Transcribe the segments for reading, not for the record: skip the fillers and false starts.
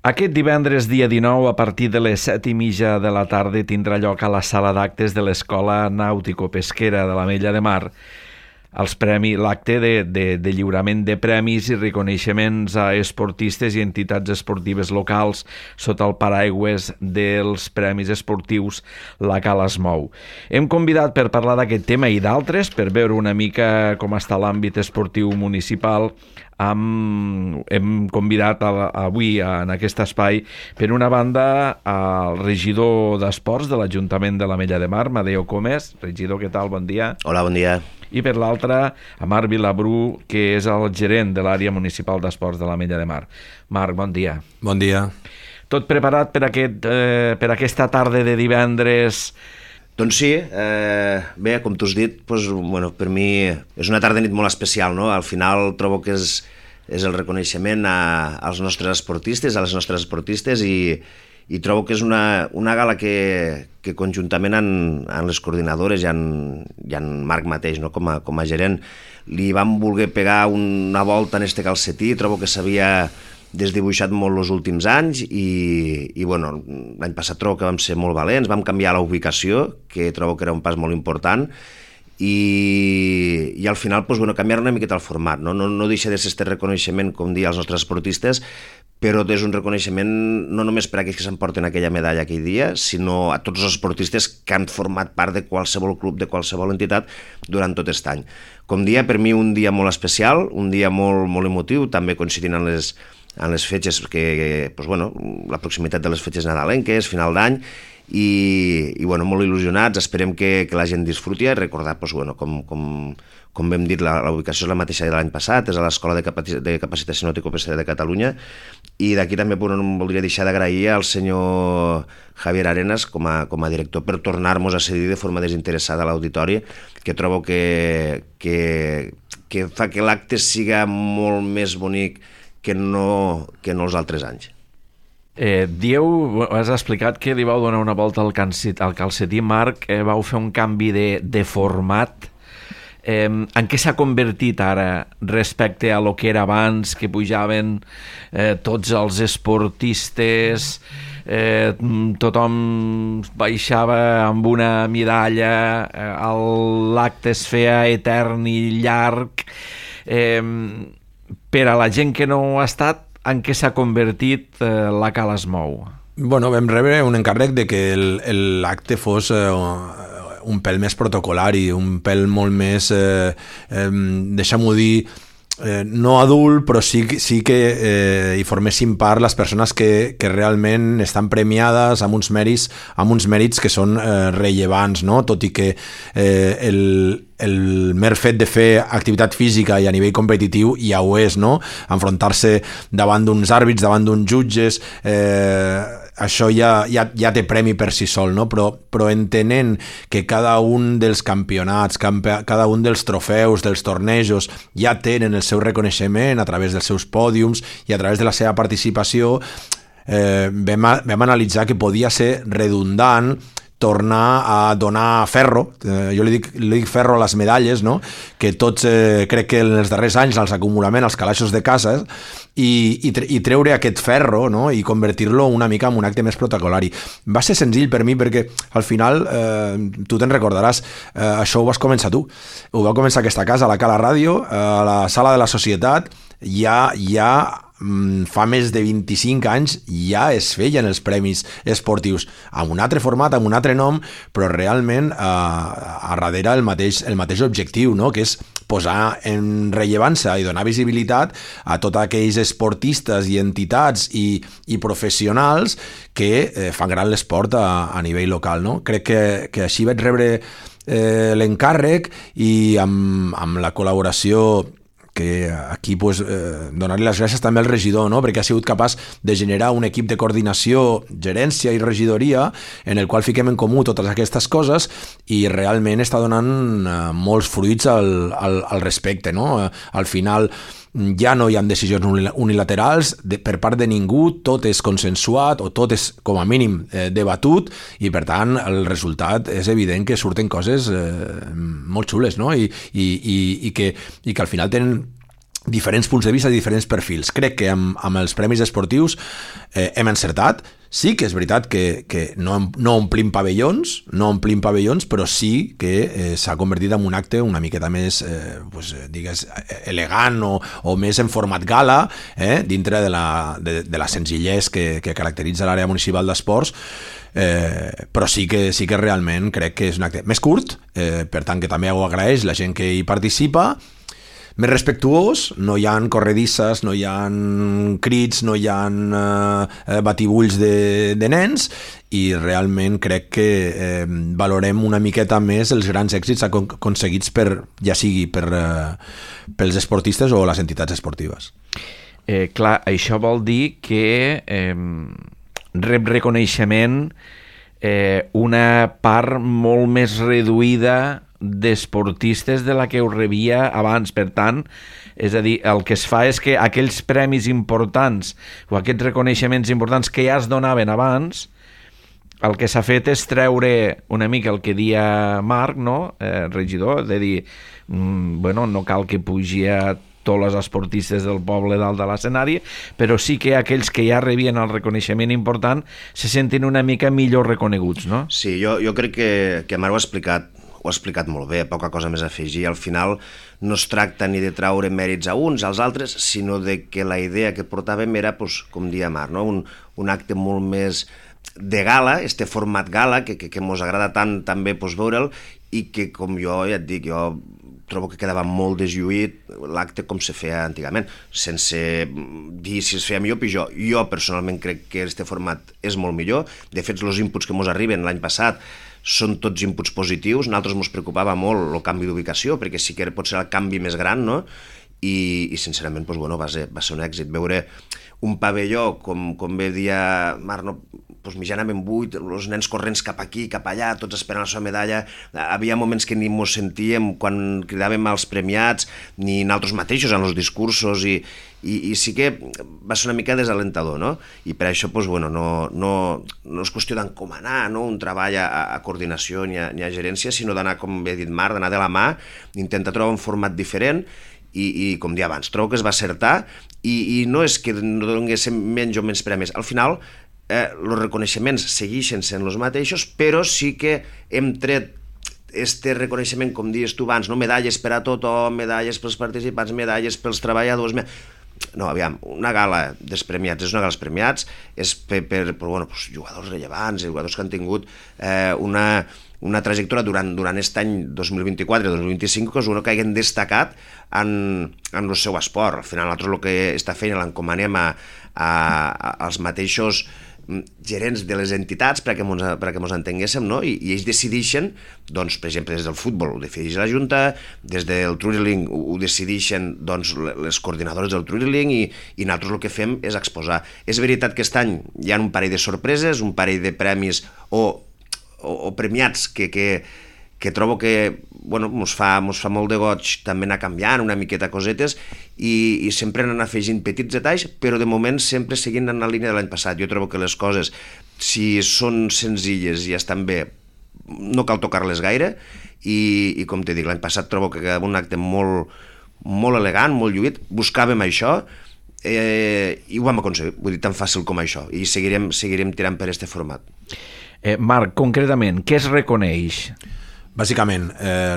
Aquest divendres, dia 19, a partir de les 7:30 de la tarda, tindrà lloc a la sala d'actes de l'Escola Nàutico-Pesquera de l'Ametlla de Mar l'acte de lliurament de premis i reconeixements a esportistes i entitats esportives locals sota el paraigües dels Premis Esportius La Cala es Mou. Hem convidat per parlar d'aquest tema i d'altres, per veure una mica com està l'àmbit esportiu municipal. Hem convidat avui en aquest espai, per una banda, al regidor d'Esports de l'Ajuntament de l'Ametlla de Mar, Madeo Comes. Regidor, què tal? Bon dia. Hola, bon dia. I per l'altra, a Marc Vilabrú, que és el gerent de l'àrea municipal d'esports de l'Ametlla de Mar. Marc, bon dia. Bon dia. Tot preparat per aquesta tarda de divendres? Doncs sí, bé, com tu has dit, per mi és una tarda nit molt especial, no? Al final trobo que és el reconeixement als nostres esportistes, a les nostres esportistes, i trobo que és una gala que conjuntament amb les coordinadores i en Marc mateix, no? com a gerent, li vam voler pegar una volta en este calcetí. Trobo que s'havia desdibuixat molt els últims anys i l'any passat trobo que vam ser molt valents, vam canviar la ubicació, que trobo que era un pas molt important, i al final canviar una miqueta el format, no deixa de ser este reconeixement, com dir, als nostres esportistes, però és un reconeixement no només per a aquells que s'emporten aquella medalla aquell dia, sinó a tots els esportistes que han format part de qualsevol club, de qualsevol entitat durant tot aquest any. Com dia, per mi un dia molt especial, un dia molt, molt emotiu, també coincidint amb les fetges, la proximitat de les fetges nadalenques, final d'any, i molt il·lusionats. Esperem que la gent disfruti i recordar, com vam dit, la ubicació és la mateixa de l'any passat, és a l'Escola de Capacitació Nàutico-Pesquera de Catalunya, i d'aquí també voldria deixar d'agrair al senyor Javier Arenas com a director per tornar-nos a cedir de forma desinteressada a l'auditori, que trobo que fa que l'acte siga molt més bonic que no els altres anys. Has explicat que li vau donar una volta al calcetí, Marc, vau fer un canvi de format. En què s'ha convertit ara respecte a lo que era abans, que pujaven tots els esportistes, tothom baixava amb una medalla, l'acte es feia etern i llarg? Per a la gent que no ha estat, en què s'ha convertit La Cala es Mou? Vam rebre un encàrrec de que l'acte fos un pèl més protocolari, un pèl molt més, deixa'm-ho dir, no adult, però sí que hi formessin part les persones que realment estan premiades amb uns mèrits que són rellevants, no? Tot i que el mer fet de fer activitat física i a nivell competitiu ja ho és, no? Enfrontar-se davant d'uns àrbits, davant d'uns jutges, això ja té premi per si sol, no? Però entenent que cada un dels campionats, cada un dels trofeus, dels tornejos, ja tenen el seu reconeixement a través dels seus pòdiums i a través de la seva participació, vam analitzar que podia ser redundant tornar a donar ferro, jo li dic ferro a les medalles, no? Que tots crec que en els darrers anys els acumulament als calaixos de casa, i treure aquest ferro, no? I convertir-lo una mica en un acte més protocolari. Va ser senzill per mi perquè al final, tu te'n recordaràs, això ho vas començar tu. Ho va començar aquesta casa, a la Cala Ràdio, a la Sala de la Societat, ja fa més de 25 anys ja es feien els premis esportius amb un altre format, amb un altre nom, però realment a darrere el mateix objectiu, no? Que és posar en rellevància i donar visibilitat a tots aquells esportistes i entitats i professionals que fan gran l'esport a nivell local, no? Crec que així vaig rebre l'encàrrec, i amb la col·laboració que aquí donar-li les gràcies també al regidor, no? Perquè ha sigut capaç de generar un equip de coordinació, gerència i regidoria en el qual fiquem en comú totes aquestes coses, i realment està donant molts fruits al respecte, no? Al final ja no hi ha decisions unilaterals per part de ningú, tot és consensuat o tot és com a mínim debatut, i per tant el resultat és evident que surten coses molt xules, no? I que al final tenen diferents punts de vista, diferents perfils. Crec que amb els premis esportius hem encertat. Sí que és veritat que no omplim pavellons, però sí que s'ha convertit en un acte una miqueta més, digues, elegant o més en format gala, dintre de la senzillesa que caracteritza l'àrea municipal d'esports, però sí que realment crec que és un acte més curt, per tant que també ho agraeix la gent que hi participa, més respectuós, no hi ha corredisses, no hi ha crits, no hi ha batibulls de nens, i realment crec que valorem una miqueta més els grans èxits aconseguits ja sigui pels esportistes o les entitats esportives. Clar, això vol dir que rep reconeixement una part molt més reduïda d'esportistes de la que ho rebia abans. Per tant, és a dir, el que es fa és que aquells premis importants o aquests reconeixements importants que ja es donaven abans, el que s'ha fet és treure una mica el que dia Marc, no? Regidor, de dir, no cal que pugi a tots els esportistes del poble dalt de l'escenari, però sí que aquells que ja rebien el reconeixement important se senten una mica millor reconeguts, no? Sí, jo crec que Marc ho ha explicat molt bé, poca cosa més a afegir. Al final no es tracta ni de traure mèrits a uns, als altres, sinó de que la idea que portàvem era, com dia Marc, no? un acte molt més de gala, este format gala, que mos agrada tant també veure'l, i que, com jo ja et dic, jo trobo que quedava molt deslluït l'acte com se feia antigament, sense dir si es feia millor o pitjor. Jo personalment crec que este format és molt millor. De fet, els inputs que mos arriben l'any passat són tots inputs positius. Nosaltres ens preocupava molt el canvi d'ubicació, perquè sí que pot ser el canvi més gran, no? I sincerament, va ser un èxit. Veure un pavelló, com bé dia Marc, mitjanament buit, els nens corrents cap aquí, cap allà, tots esperant la seva medalla. Havia moments que ni mos sentíem quan cridàvem als premiats, ni nosaltres mateixos en els discursos, i sí que va ser una mica desalentador, no? I per això, no és qüestió d'encomanar, no? Un treball a coordinació ni a gerència, sinó d'anar, com bé dit Marc, d'anar de la mà, intentar trobar un format diferent, i com dia abans, trobo que es va acertar, i no és que no donéssim menys o menys premis. Al final, els reconeixements segueixen sent els mateixos, però sí que hem tret este reconeixement, com dius tu abans, no? Medalles per a tothom, medalles pels participants, medalles pels treballadors. No, aviam, una gala dels premiats és una gala dels premiats, és per jugadors rellevants, jugadors que han tingut una trajectòria durant aquest any 2024-2025 que hagin destacat en el seu esport. Al final, nosaltres el que està fent l'encomanem als mateixos gerents de les entitats perquè ens entenguéssim, no? I ells decideixen, doncs, per exemple, des del futbol ho decideix la Junta, des del Truriling ho decideixen les coordinadores del Truriling, i nosaltres el que fem és exposar. És veritat que aquest any hi ha un parell de sorpreses, un parell de premis o premiats que trobo que mos fa molt de goig també anar canviant una miqueta cosetes, i sempre anar afegint petits detalls, però de moment sempre seguint en la línia de l'any passat. Jo trobo que les coses, si són senzilles i estan bé, no cal tocar-les gaire, i com t'he dit, l'any passat trobo que quedava un acte molt, molt elegant, molt lluït. Buscàvem això, i ho vam aconseguir, vull dir, tan fàcil com això, i seguirem tirant per este format. Marc, concretament, què es reconeix? Bàsicament,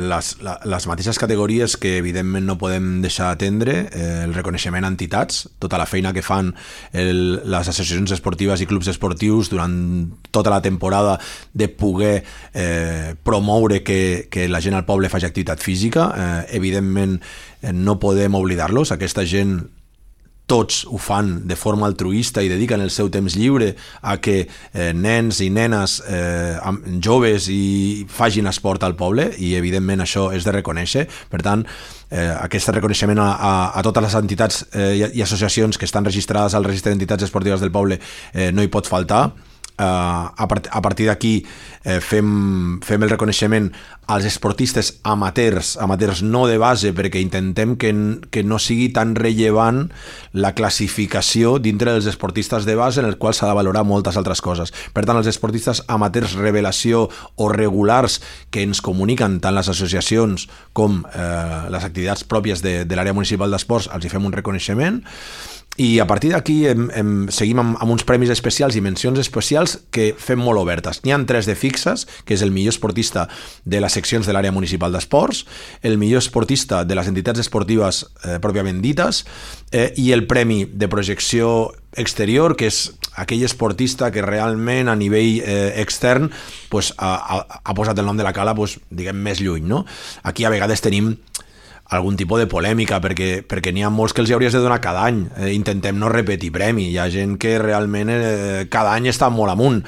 les mateixes categories que evidentment no podem deixar d'atendre, el reconeixement a entitats, tota la feina que fan les associacions esportives i clubs esportius durant tota la temporada de poder promoure que la gent al poble faci activitat física. Evidentment no podem oblidar-los, aquesta gent tots ho fan de forma altruista i dediquen el seu temps lliure a que nens i nenes joves i facin esport al poble, i evidentment això és de reconèixer. Per tant, aquest reconeixement a totes les entitats i associacions que estan registrades al registre d'entitats esportives del poble no hi pot faltar. a partir d'aquí fem el reconeixement als esportistes amateurs no de base, perquè intentem que no sigui tan rellevant la classificació dintre dels esportistes de base, en el qual s'ha de valorar moltes altres coses. Per tant, els esportistes amateurs revelació o regulars que ens comuniquen tant les associacions com les activitats pròpies de l'àrea municipal d'esports, els hi fem un reconeixement. I a partir d'aquí seguim amb uns premis especials i mencions especials que fem molt obertes. N'hi ha 3 de fixes, que és el millor esportista de les seccions de l'àrea municipal d'esports, el millor esportista de les entitats esportives pròpiament dites, i el premi de projecció exterior, que és aquell esportista que realment a nivell extern ha posat el nom de la cala diguem més lluny, no? Aquí a vegades tenim algun tipus de polèmica, perquè n'hi ha molts que els hauries de donar cada any. Intentem no repetir premi. Hi ha gent que realment cada any està molt amunt.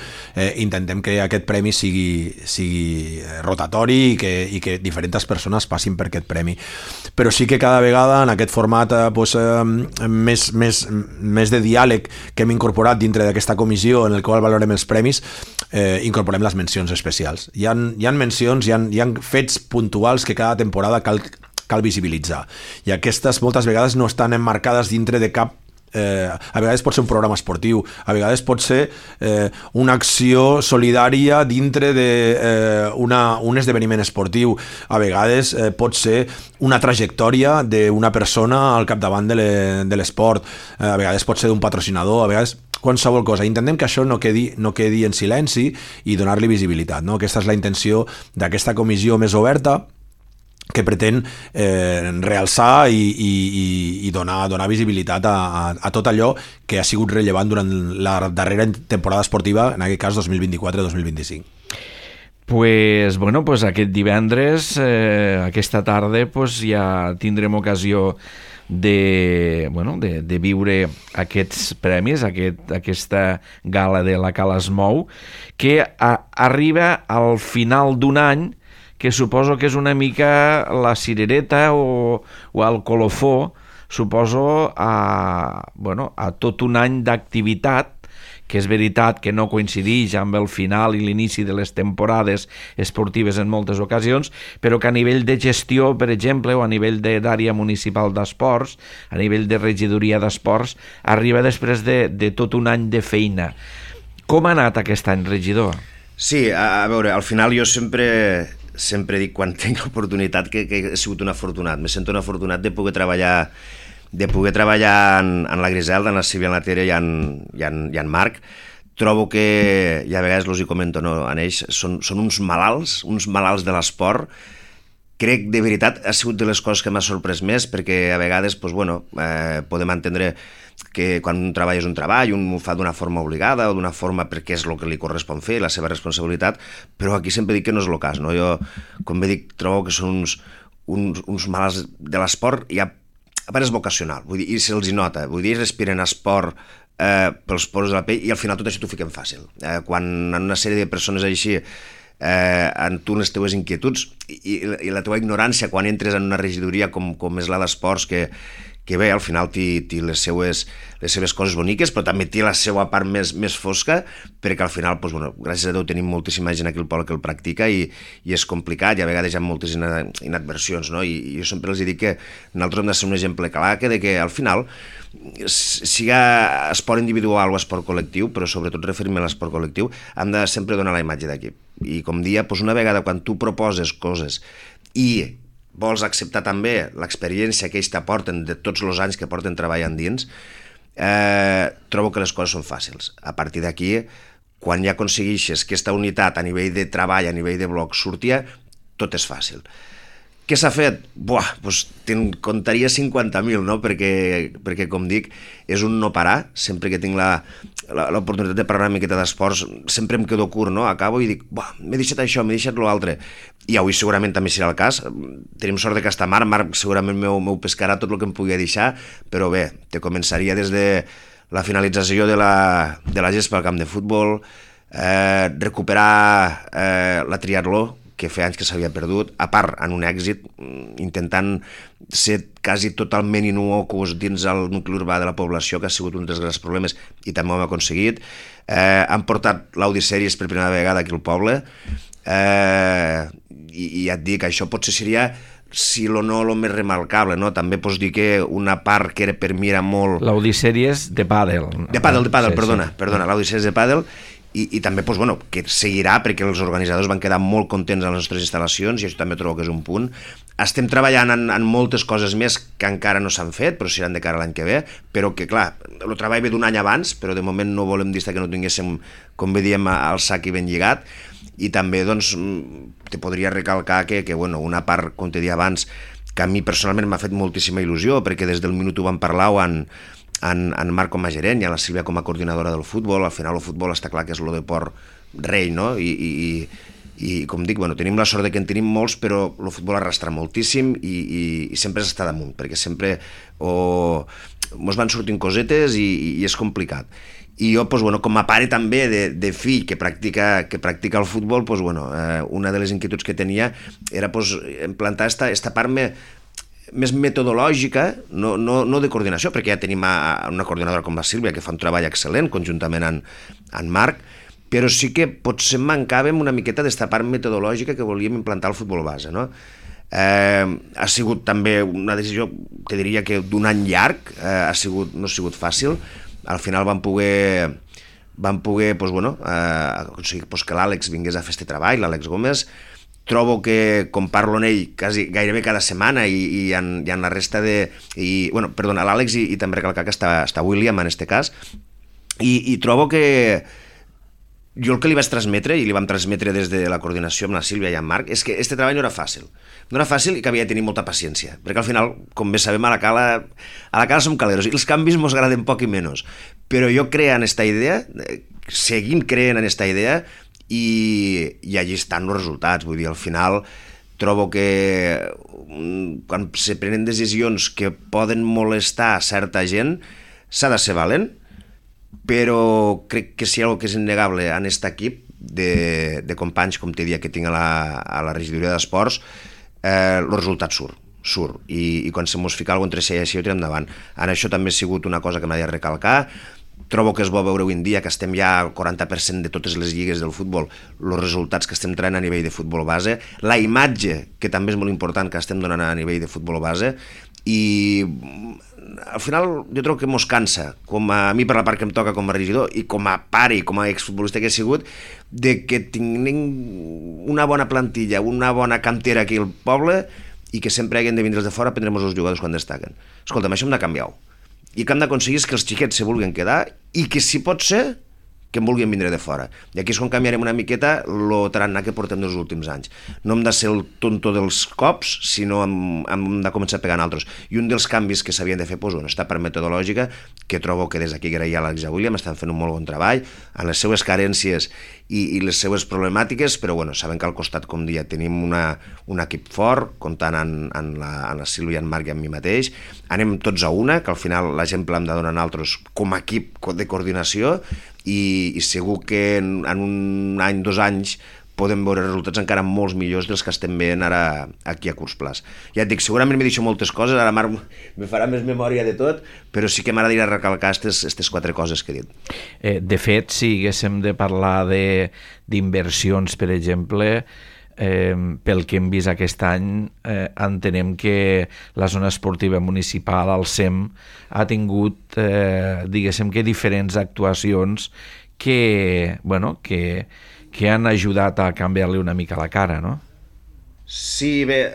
Intentem que aquest premi sigui rotatori i que diferents persones passin per aquest premi. Però sí que cada vegada en aquest format més de diàleg que hem incorporat dintre d'aquesta comissió en el qual valorem els premis, incorporem les mencions especials. Hi ha mencions, hi ha fets puntuals que cada temporada cal visibilitzar, i aquestes moltes vegades no estan emmarcades dintre de cap a vegades pot ser un programa esportiu, a vegades pot ser una acció solidària dintre d'un esdeveniment esportiu, a vegades pot ser una trajectòria d'una persona al capdavant de l'esport, a vegades pot ser d'un patrocinador, a vegades qualsevol cosa. Intentem que això no quedi en silenci i donar-li visibilitat, no? Aquesta és la intenció d'aquesta comissió més oberta, que pretén realçar i donar visibilitat a tot allò que ha sigut rellevant durant la darrera temporada esportiva, en aquest cas 2024-2025. Pues aquest divendres, aquesta tarda, ja tindrem ocasió de viure aquests premis, aquesta gala de la Cala es mou, que arriba al final d'un any que suposo que és una mica la cirereta o el colofó, suposo, a tot un any d'activitat, que és veritat que no coincideix amb el final i l'inici de les temporades esportives en moltes ocasions, però que a nivell de gestió, per exemple, o a nivell d'àrea municipal d'esports, a nivell de regidoria d'esports, arriba després de tot un any de feina. Com ha anat aquest any, regidor? Sí, a veure, al final jo sempre dic quan tinc l'oportunitat que he sigut un afortunat. Me sento un afortunat de poder treballar en la Griselda, en la Sílvia, en la Tere i en Marc. Trobo que, i a vegades els hi comento en ells, són uns malalts de l'esport. Crec, de veritat, ha sigut de les coses que m'ha sorprès més, perquè a vegades podem entendre que quan un treball és un treball, un ho fa d'una forma obligada o d'una forma perquè és el que li correspon fer, la seva responsabilitat, però aquí sempre dic que no és el cas, no? Jo, com bé dic, trobo que són uns malalts de l'esport, i a part és vocacional, vull dir, i se'ls hi nota, vull dir, respiren esport pels poros de la pell, i al final tot això t'ho fiquen fàcil. Quan en una sèrie de persones així en tu les teues inquietuds i la teva ignorància quan entres en una regidoria com és la d'esports, que bé, al final té les seves coses boniques, però també té la seva part més fosca, perquè al final, gràcies a Déu, tenim moltíssima gent aquí al poble que el practica i és complicat, i a vegades hi ha moltes inadversions, no? I jo sempre els dic que nosaltres hem de ser un exemple clar de que al final, siga esport individual o esport col·lectiu, però sobretot referir-me a l'esport col·lectiu, hem de sempre donar la imatge d'equip. I com dia, una vegada quan tu proposes coses i vols acceptar també l'experiència que ells t'aporten de tots els anys que porten treballant dins, trobo que les coses són fàcils. A partir d'aquí, quan ja aconsegueixes aquesta unitat a nivell de treball, a nivell de bloc, sortia, tot és fàcil. Què s'ha fet? Te'n contaria 50.000, no? Perquè, com dic, és un no parar. Sempre que tinc l'oportunitat de parlar una miqueta d'esports, sempre em quedo curt, no? Acabo i dic, m'he deixat això, m'he deixat l'altre. I avui segurament també serà el cas. Tenim sort de que està Marc segurament m'ho pescarà tot el que em pugui deixar, però bé, te començaria des de la finalització de la gespa al camp de futbol, recuperar la triatló, que feia anys que s'havia perdut, a part, en un èxit, intentant ser quasi totalment inocuos dins el nucli urbà de la població, que ha sigut un dels grans problemes, i també ho hem aconseguit. Han portat l'Audisèries per primera vegada aquí al poble, i ja et dic, això potser seria, si no el més remarcable, no? També pots dir que una part que era per mi era molt... L'Audisèries de pàdel. De pàdel, perdona, l'Audisèries de pàdel, i també doncs, bueno, que seguirà perquè els organitzadors van quedar molt contents amb les nostres instal·lacions i això també trobo que és un punt. Estem treballant en moltes coses més que encara no s'han fet, però seran de cara a l'any que ve, però que clar, el treball ve d'un any abans, però de moment no volem dir que no tinguéssim, com bé diem, el sac i ben lligat. I també doncs, te podria recalcar que bueno, una part, com te deia abans, que a mi personalment m'ha fet moltíssima il·lusió, perquè des del minut ho vam parlar en Marc com a gerent i en la Sílvia com a coordinadora del futbol. Al final el futbol està clar que és el deport rei, no? I com dic, bueno, tenim la sort de que en tenim molts, però el futbol arrastra moltíssim i sempre s'està damunt, perquè sempre mos van sortint cosetes i és complicat. I jo, doncs, bueno, com a pare també de fill que practica el futbol, doncs, bueno, una de les inquietuds que tenia era doncs, implantar esta part més metodològica, no de coordinació, perquè ja tenim una coordinadora com la Sílvia que fa un treball excel·lent conjuntament amb Marc, però sí que potser mancàvem una miqueta d'esta part metodològica que volíem implantar al futbol base, no? Ha sigut també una decisió, te diria que d'un any llarg, no ha sigut fàcil. Al final vam poder doncs, bueno, aconseguir doncs, que l'Àlex vingués a fer este treball, l'Àlex Gómez. Trobo que, com parlo amb ell gairebé cada setmana i en la resta de... Bueno, perdona, l'Àlex i també recalcar que està William en este cas, i trobo que jo el que li vaig transmetre, i li vam transmetre des de la coordinació amb la Sílvia i amb Marc, és que este treball no era fàcil. No era fàcil i que havia de tenir molta paciència, perquè al final, com bé sabem, a la cala som caleros, i els canvis mos agraden poc i menys. Però jo creant esta idea, seguint creant en esta idea, i allí estan els resultats. Vull dir, al final trobo que quan se prenen decisions que poden molestar certa gent, s'ha de ser valent, però crec que si hi ha alguna cosa que és innegable en aquest equip de companys, com t'he dit, que tinc a la regidoria d'esports, el resultat surt, i quan se mos fica alguna cosa entre si i així ho tirem endavant. En això també ha sigut una cosa que m'ha de recalcar. Trobo que és bo veure avui en dia que estem ja al 40% de totes les lligues del futbol, els resultats que estem traient a nivell de futbol base, la imatge, que també és molt important, que estem donant a nivell de futbol base, i al final jo trobo que mos cansa, com a mi per la part que em toca com a regidor i com a pare i com a exfutbolista que he sigut, de que tinguem una bona plantilla, una bona cantera aquí al poble i que sempre hagin de vindre de fora a prendre'ns els jugadors quan destaquen. Escolta'm, això hem de canviar-ho. I que hem d'aconseguir és que els xiquets se vulguin quedar i que, si pot ser, que en vulguin vindre de fora. I aquí és quan canviarem una miqueta el tarannà que portem dels últims anys. No hem de ser el tonto dels cops, sinó hem de començar a pegar en altres. I un dels canvis que s'havien de fer, doncs, està per metodològica, que trobo que des d'aquí agrair a l'Àlex i a William estan fent un molt bon treball, en les seues carències i les seues problemàtiques, però bueno, saben que al costat, com dia, tenim un equip fort, comptant en la Sílvia, en Marc i en mi mateix. Anem tots a una, que al final l'exemple hem de donar a nosaltres com a equip de coordinació, i segur que en un any, 2 anys, podem veure resultats encara molt millors dels que estem veient ara aquí a curs plaç. Ja et dic, segurament m'he dit moltes coses, ara Marc me farà més memòria de tot, però sí que m'agradaria recalcar aquestes 4 coses que he dit. De fet, si haguéssim de parlar d'inversions, per exemple, pel que hem vist aquest any, entenem que la zona esportiva municipal, al SEM, ha tingut, diguéssim que diferents actuacions que han ajudat a canviar-li una mica la cara, no? Sí, bé,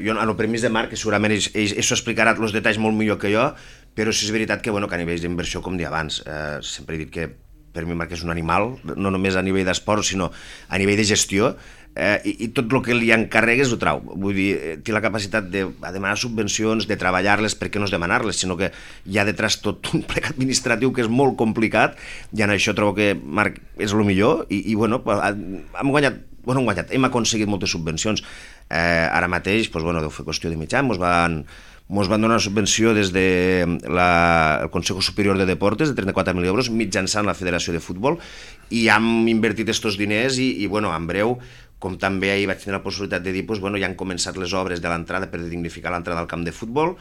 jo en el permís de Marc, que segurament ell s'ho explicarà els detalls molt millor que jo, però sí és veritat que a nivell d'inversió, com deia abans, sempre he dit que per mi Marc és un animal, no només a nivell d'esport, sinó a nivell de gestió, i tot el que li encarregues ho trau. Vull dir, té la capacitat de demanar subvencions, de treballar-les, per què no és demanar-les, sinó que hi ha detrás tot un plec administratiu que és molt complicat, i en això trobo que Marc és el millor, i bueno, hem aconseguit moltes subvencions. Ara mateix, deu fer qüestió de mig any, mos van donar una subvenció des del Consejo Superior de Deportes de 34.000 euros mitjançant la Federació de Futbol, i hem invertit estos diners i en breu com també ahir vaig tenir la possibilitat de dir, doncs, bueno, ja han començat les obres de l'entrada per dignificar l'entrada al camp de futbol.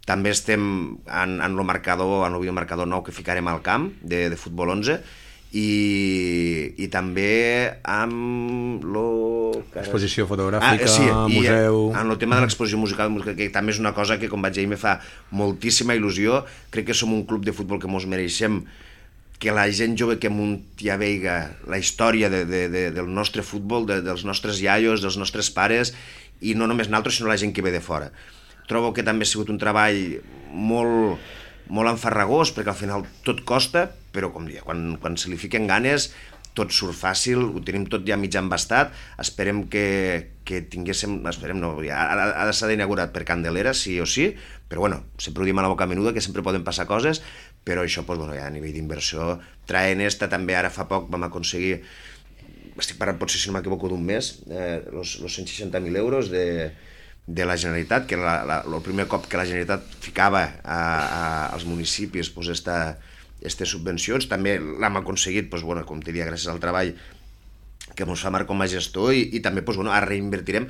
També estem en el videomarcador nou que ficarem al camp de futbol 11, i també amb exposició fotogràfica, museu... En el tema de l'exposició musical, que també és una cosa que, com vaig dir, me fa moltíssima il·lusió. Crec que som un club de futbol que mos mereixem que la gent jove que munti a veiga la història del nostre futbol, dels nostres iaios, dels nostres pares, i no només nosaltres, sinó la gent que ve de fora. Trobo que també ha sigut un treball molt enfarragós, perquè al final tot costa, però com dia, quan se li fiquen ganes tot surt fàcil, ho tenim tot ja mig embastat. Esperem que tinguéssim, ha de ser inaugurat per Candelera, sí o sí, però bueno, sempre ho diem a la boca menuda, que sempre poden passar coses, però això, doncs, bueno, ja a nivell d'inversió, Traenesta també ara fa poc vam aconseguir, estic parlant potser si no m'equivoco d'un mes, els 160.000 euros de la Generalitat, que era el primer cop que la Generalitat ficava als municipis aquestes subvencions. També l'hem aconseguit, bueno, com diria, gràcies al treball que ens fa Marc com a gestor, i també ara reinvertirem,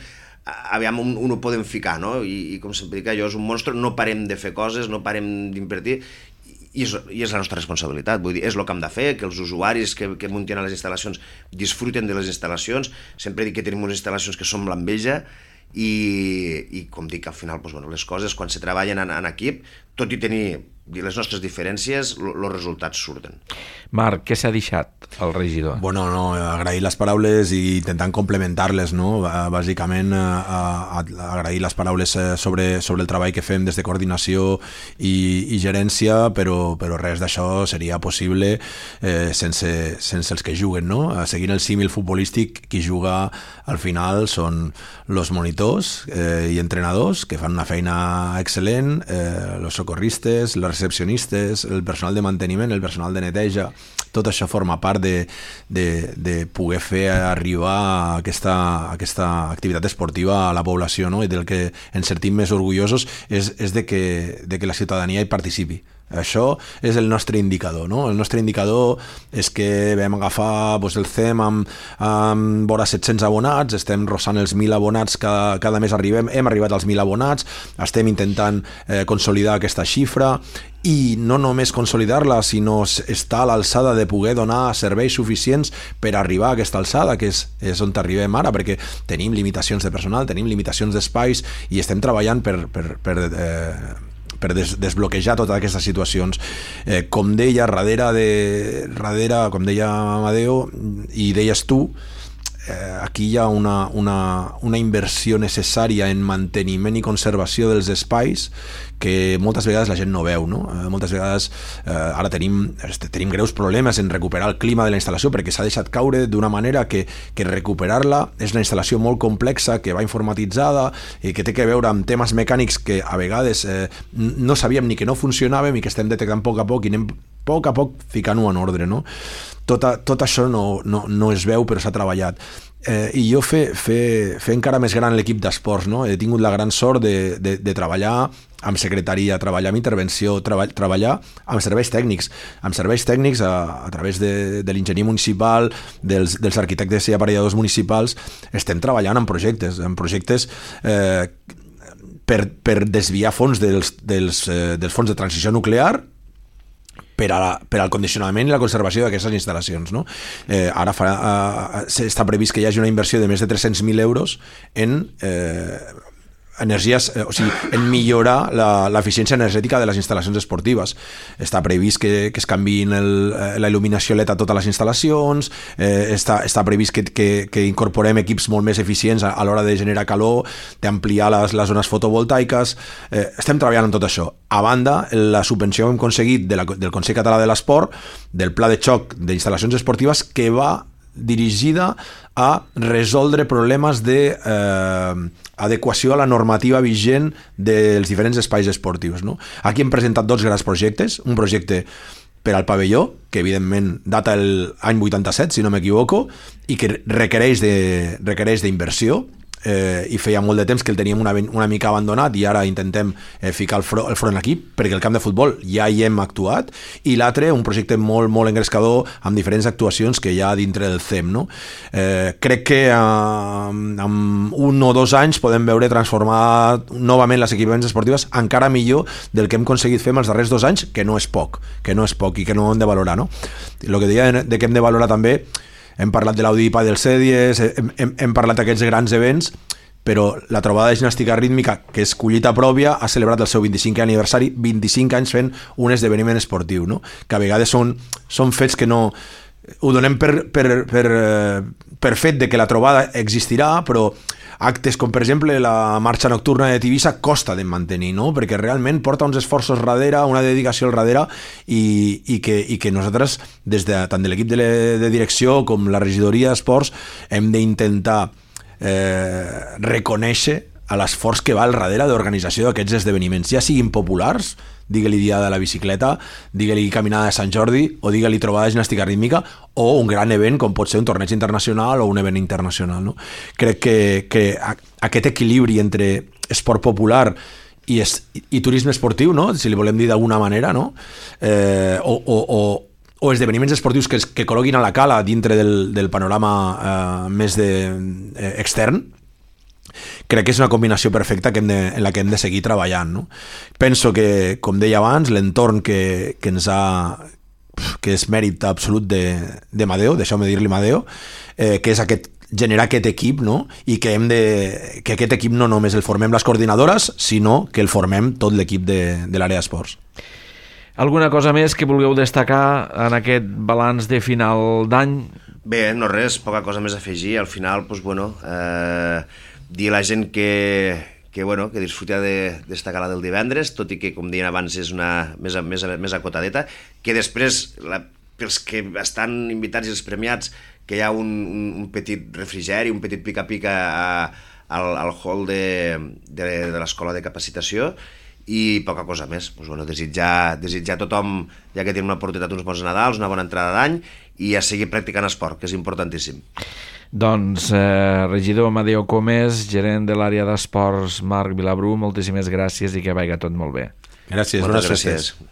aviam on ho podem ficar, no? I com sempre dic, allò és un monstre, no parem de fer coses, no parem d'invertir, i és la nostra responsabilitat. Vull dir, és el que hem de fer, que els usuaris que muntin a les instal·lacions disfruten de les instal·lacions. Sempre dic que tenim unes instal·lacions que som l'enveja, i com dic, al final les coses quan se treballen en equip, tot i tenir les nostres diferències, els resultats surten. Marc, què s'ha deixat el regidor? Bueno, agrair les paraules i intentant complementar-les, no? Bàsicament agrair les paraules sobre el treball que fem des de coordinació i gerència, però res d'això seria possible sense els que juguen, no? Seguint el símil futbolístic, qui juga al final són els monitors i entrenadors, que fan una feina excel·lent, els socorristes, les recepcionistes, el personal de manteniment, el personal de neteja. Tot això forma part de poder fer arribar aquesta activitat esportiva a la població, no? I del que ens sentim més orgullosos és de que la ciutadania hi participi. Això és el nostre indicador, no? El nostre indicador és que vam agafar el CEM amb vora 700 abonats, estem rossant els 1.000 abonats, cada mes hem arribat als 1.000 abonats, estem intentant consolidar aquesta xifra, i no només consolidar-la, sinó estar a l'alçada de poder donar serveis suficients per arribar a aquesta alçada, que és on arribem ara, perquè tenim limitacions de personal, tenim limitacions d'espais, i estem treballant per desbloquejar totes aquestes situacions. Com deia, darrere, com deia Amadeo i deies tu, aquí hi ha una inversió necessària en manteniment i conservació dels espais que moltes vegades la gent no veu, no? Moltes vegades ara tenim greus problemes en recuperar el clima de la instal·lació, perquè s'ha deixat caure d'una manera que recuperar-la és una instal·lació molt complexa, que va informatitzada i que té que veure amb temes mecànics que a vegades no sabíem ni que no funcionàvem i que estem detectant a poc i anem a poc ficant-ho en ordre, no? Tot això no es veu, però s'ha treballat. I jo fer encara més gran l'equip d'esports, no? He tingut la gran sort de treballar amb secretaria, treballar amb intervenció, treballar amb serveis tècnics a través de l'enginyer municipal, dels arquitectes i aparelladors municipals. Estem treballant en projectes per desviar fons dels fons de transició nuclear per al condicionament i la conservació d'aquestes instal·lacions, no? Ara està previst que hi hagi una inversió de més de 300.000 euros en energies, o sigui, en millorar l'eficiència energètica de les instal·lacions esportives. Està previst que es canviïn la il·luminació LED a totes les instal·lacions, està previst que incorporem equips molt més eficients a l'hora de generar calor, d'ampliar les zones fotovoltaiques. Estem treballant en tot això. A banda, la subvenció que hem aconseguit del Consell Català de l'Esport, del Pla de Xoc d'instal·lacions esportives, que va dirigida a resoldre problemes d'adequació a la normativa vigent dels diferents espais esportius, no? Aquí hem presentat 2 grans projectes, un projecte per al pavelló, que evidentment data l'any 87, si no m'equivoco, i que requereix d'inversió. i feia molt de temps que el teníem una mica abandonat i ara intentem ficar el front aquí perquè el camp de futbol ja hi hem actuat, i l'altre, un projecte molt, molt engrescador amb diferents actuacions que hi ha dintre del CEM, no? Crec que en 1 o 2 anys podem veure transformar novament les equipaments esportives encara millor del que hem aconseguit fer els darrers 2 anys, que no és poc i que no hem de valorar, no? El que deia de que hem de valorar també, hem parlat de l'Audipa dels Cèdies, hem parlat d'aquests grans events, però la trobada de gimnàstica rítmica, que és collita pròpia, ha celebrat el seu 25è aniversari, 25 anys fent un esdeveniment esportiu, no? Que a vegades són fets que no... Ho donem per fet de que la trobada existirà, però actes com, per exemple, la marxa nocturna de Tivissa costa de mantenir, no? Perquè realment porta uns esforços darrere, una dedicació al darrere, i que nosaltres, tant de l'equip de direcció com la regidoria d'esports, hem d'intentar reconèixer a l'esforç que va al darrere d'organització d'aquests esdeveniments, ja siguin populars, digue-li dia de la bicicleta, digue-li caminada de Sant Jordi, o digue-li trobada de gimnàstica rítmica, o un gran event com pot ser un torneig internacional o un event internacional, no? Crec que aquest equilibri entre esport popular i turisme esportiu, no? Si li volem dir d'alguna manera, no? O esdeveniments esportius que col·loquin a la cala dintre del panorama més extern, crec que és una combinació perfecta en la que hem de seguir treballant, no? Penso que, com deia abans, l'entorn que és mèrit absolut de Madeo, deixeu-me dir-li Madeo, que és generar aquest equip, no? I que aquest equip no només el formem les coordinadores, sinó que el formem tot l'equip de l'àrea d'esports. Alguna cosa més que vulgueu destacar en aquest balanç de final d'any? Bé, no res, poca cosa més a afegir. Al final, doncs, bueno, dir a la gent que disfruti d'esta gala del divendres, tot i que, com deien abans, és una més acotadeta, que després, pels que estan invitats i els premiats, que hi ha un petit refrigeri, un petit pica-pica al hall de l'escola de capacitació, i poca cosa més. Doncs, bueno, desitjar a tothom, ja que tenim una oportunitat, uns bons Nadals, una bona entrada d'any, i a seguir practicant esport, que és importantíssim. Doncs, regidor Amadeo Comes, gerent de l'àrea d'esports Marc Vilabrú, moltíssimes gràcies i que vagi tot molt bé. Gràcies, bones festes.